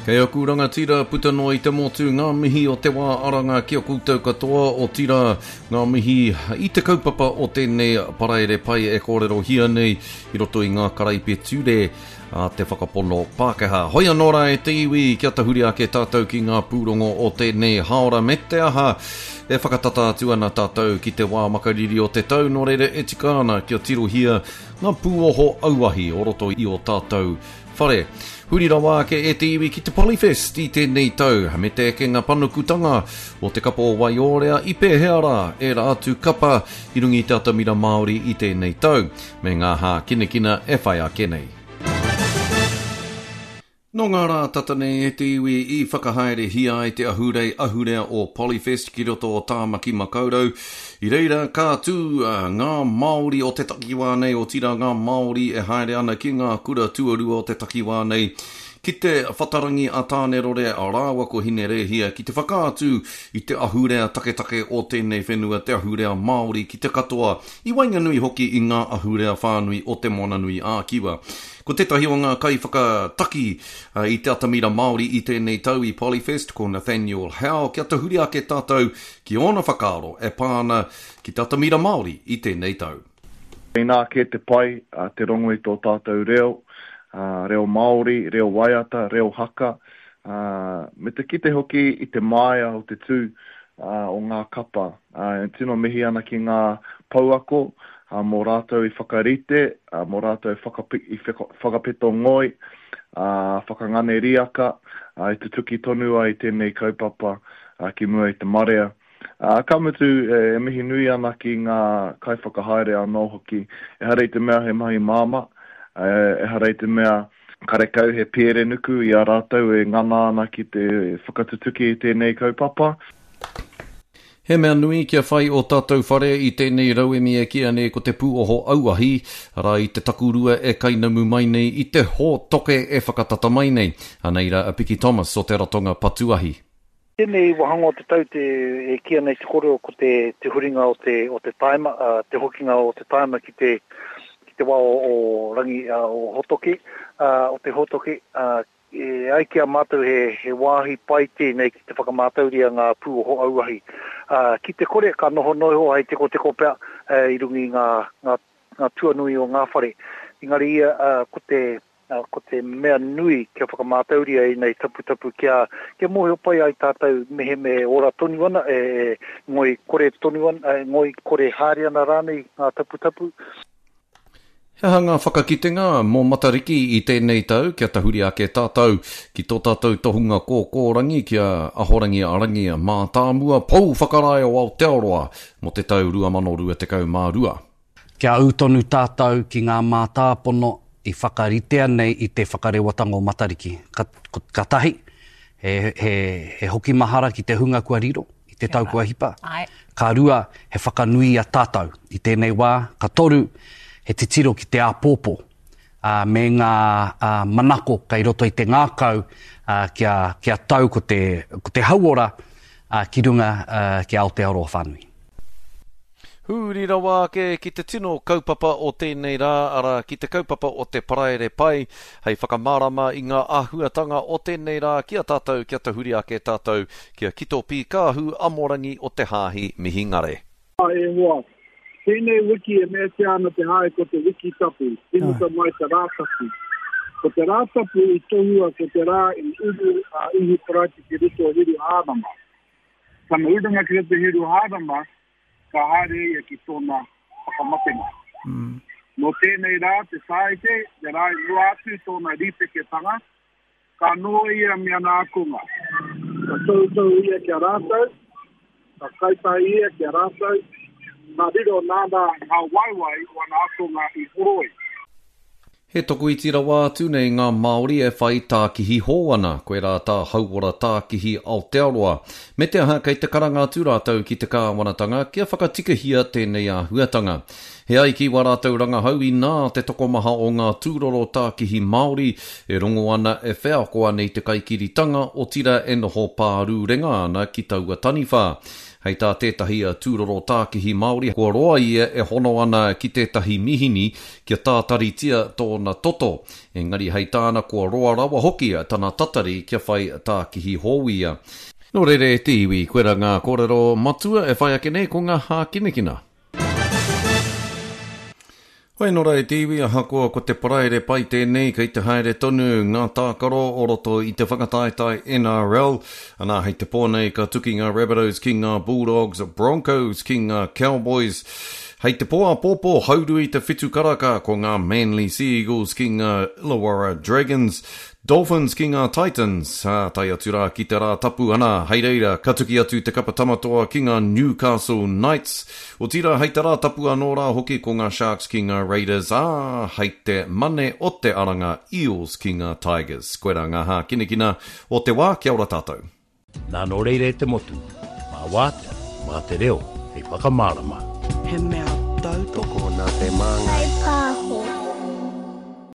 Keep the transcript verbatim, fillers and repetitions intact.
Kei aku rangatira puta noa i te motu ngā mihi o te wā aranga ki a koutou katoa, otirā ngā mihi i te kaupapa o tēnei paraire pai e kōrerohia nei i roto i ngā karaipiture a te whakapono Pākehā. Hoi anō rā e te iwi, kia tahuri ake tātou ki ngā pūrongo o tēnei hāora me te aha e whakatata atu ana tātou ki te wā makariri o te tau, nō reira e tika ana kia tirohia ngā pūoho auahi o roto i o tātou whare. Huri rawa ake e te iwi ki te Polyfest i tēnei tau, me te ekenga panukutanga o te kapa o Waiōrea i pēhea rā ērā atu kapa i runga i te atamira Māori i tēnei tau, me ngā hākinakina e whai ake nei. Nō ngā rā tata nei e te iwi i whakahaerehia ai te ahurei ahurea o Polyfest ki roto o Tāmaki Makaurau. I reira ka tū ngā Māori o te takiwā nei, otirā ngā Māori e haere ana ki ngā kura tuarua o te takiwā nei, ki te whatarangi a Tānerore rāua ko Hinerēhia ki te whakaatu i te ahurea taketake o tēnei whenua, te ahurea Māori ki te katoa, i waenganui hoki i ngā ahurea whānui o Te Moananui ā-Kiwa. Ko tētahi o ngā kaiwhakataki i te atamira Māori i tēnei tau i Polyfest, ko Nathaniel Howe, kia tahuri ake tātou ki ōna whakaaro e pā ana ki te atamira Māori i tēnei tau. Inā kē te pai, te rongo i tō tātou reo, reo Māori, reo waiata, reo haka, me te kite hoki i te māia o te tū o ngā kapa. E tino mihi ana ki ngā pouako, mō rātou i whakarite, mō rātou i whakapeto ngoi, whakangane riaka, i tutuki tonu ai tēnei kaupapa ki mua i te marea. Ka mutu, e mihi nui ana ki ngā kaiwhakahaere anō hoki. Ehara i te mea he mahi māmā, ehara i te mea karekau he pērenuku i a rātou e ngana ana ki te whakatutuki i tēnei kaupapa. He mea nui kia whai o tātou whare i tēnei rauemi e kīia nei ko te pūoho auahi, arā i te takurua e kainamu mai nei i te hōtoke e whakatata mai nei. Anei rā a Piki Thomas o te ratonga patu ahi. Tēnei wāhanga o te tau te, e kīia nei te kōrero ko te, te huringa o te, o te taima, uh, te hokinga o te taima ki te, ki te wā o, o rangi uh, o hōtoke, uh, o te hōtoke, uh, e ai ki a mātou he, he wāhi pai tēnei ki te whakamātauria ngā pūoho auahi. Uh, ki te kore, ka noho noiho hei tekoteko pea uh, i runga i ngā, ngā, ngā tuanui o ngā whare. Engari ia, uh, ko te, uh, ko te mea nui kia whakamātauria ēnei taputapu kia, kia mōhio pai ai tātou mehemea e ora tonu ana, e, e ngoi kore tonu ana, e ngoi kore haere ana rānei ngā taputapu. He aha ngā whakakitenga mō Matariki i tēnei tau kia tahuri ake tātou ki tō tātou tohunga kōkōrangi ki a Ahorangi Rangi Mātāmua Pou Whakarae o Aotearoa mō te tau rua mano rua tekau mā rua. Kia ū tonu tātou ki ngā mātāpono i whakaritea nei i te whakarewatanga o Matariki. Ka, ka tahi, he, he, he hoki mahara ki te hunga kua riro, i te tau kua hipa. Ka rua, he whakanui i a tātou i tēnei wā. Ka toru, he titiro ki te āpōpō, ā, me ngā ā, manako kei roto i te ngākau, ā, kia, kia tau ko te, ko te hauora, ā, ki runga, ā, ki Aotearoa whānui. Huri rawa ake ki te tino kaupapa o tēnei rā, arā ki te kaupapa o te paraire pai, hei whakamārama i ngā āhuatanga o tēnei rā ki a tātou, kia tahuri ake tātou, kia Kito Pīkāhu Amorangi o te Hāhi Mihingare. E hoa, tēnei wiki e meatia ana te hae ko te wiki tapu, tīmata mai te Rātapu. Ko te Rātapu i tohua ko te rā i uru a Ihu Karaiti ki roto o Hiruhārama. Tana urunga ki roto Hiruhārama, ka haere ia ki tōna whakamatenga. Mm. Nō tēnei rā, te Tāite, te rā i mua atu i tōna rīpeketanga, ka noho ia me ana ākonga. Ka toutou ia ki a rātou, ka kaitahi ia ki a rātou, ka riro nāna ngā waewae o ana ākonga i horoi. He tokoiti rawa atu nei ngā Māori e whai tākihi hou ana, koirā tā Hauora Tākihi Aotearoa. Me te aha kei te karanga atu rātou ki te kāwanatanga kia whakatikahia tēnei āhuatanga. He ai ki wā rātou rangahau inā te tokomaha o ngā tūroro tākihi Māori e rongo ana e wheako ana i te kaikiritanga, otirā e noho pārūrenga ana ki taua taniwha. Hei tā tētahi tūroro tākihi Māori, kua roa ia e hono ana ki tētahi mihini kia tātaritia tōna toto. Engari hei tāna kua roa rawa hoki tana tatari kia whai tākihi hou ia. Nō reira e te iwi, koira ngā kōrero matua e whai ake nei ko ngā hākinakina. Hoi nō rā e te iwi, ahakoa ko te Paraire pai tēnei, kei te haere tonu ngā tākaro o roto i te whakataetae N R L. Anā, hei te pō nei ka tuki ngā Rabbitohs ki ngā Bulldogs, Broncos ki ngā Cowboys. Hei te pō āpōpō, hauru i te whitu karaka ko ngā Manly Sea Eagles ki ngā Illawarra Dragons, Dolphins ki ngā Titans, ā, tae atu rā ki te rā tapu ana, hei reira, ka tuki atu te kapa tamatoa ki ngā Newcastle Knights. Otirā, hei te rā tapu anō rā hoki ko ngā Sharks ki ngā Raiders, ā, hei te mane o te aranga Eels ki ngā Tigers. Koirā ngā hākinakina o te wā, kia ora tātou. Nā nō reira e te motu, mā wātea, mā te reo, hei whakamārama. He mea tautoko nā te māngai.